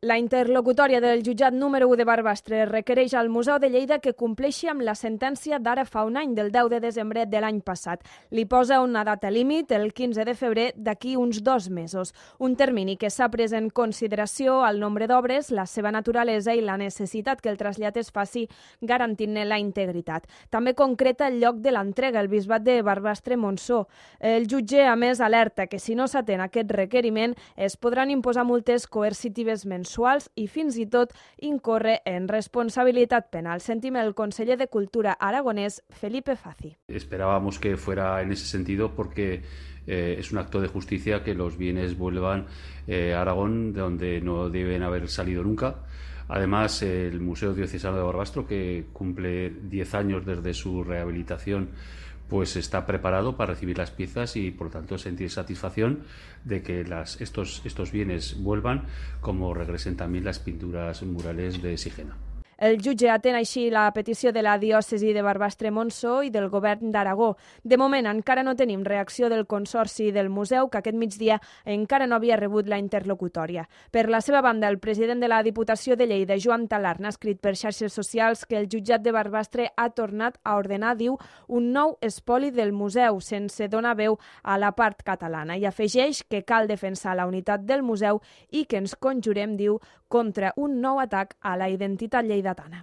La interlocutòria del jutjat número 1 de Barbastre requereix al Museu de Lleida que compleixi amb la sentència d'ara fa un any, del 10 de desembre de l'any passat. Li posa una data límit, el 15 de febrer, d'aquí uns 2 mesos. Un termini que s'ha pres en consideració el nombre d'obres, la seva naturalesa i la necessitat que el trasllat es faci garantint-ne la integritat. També concreta el lloc de l'entrega, el bisbat de Barbastre-Montsó. El jutge, a més, alerta que si no s'atén aquest requeriment es podran imposar multes coercitives mensuals i fins i tot incórrer en responsabilitat penal. Sentim el conseller de Cultura aragonès, Felipe Fazi. Esperábamos que fuera en ese sentido porque es un acto de justicia que los bienes vuelvan a Aragón, de donde no deben haber salido nunca. Además, el Museo Diocesano de Barbastro, que cumple 10 años desde su rehabilitación, pues está preparado para recibir las piezas y, por lo tanto, sentir satisfacción de que estos bienes vuelvan, como regresen también las pinturas murales de Sigena. El jutge atén així la petició de la diòcesi de Barbastre-Montsó i del govern d'Aragó. De moment encara no tenim reacció del Consorci del Museu, que aquest migdia encara no havia rebut la interlocutòria. Per la seva banda, el president de la Diputació de Lleida, Joan Talarn, ha escrit per xarxes socials que el jutjat de Barbastre ha tornat a ordenar, diu, un nou espoli del museu, sense donar veu a la part catalana. I afegeix que cal defensar la unitat del museu i que ens conjurem, diu, contra un nou atac a la identitat lleidatana.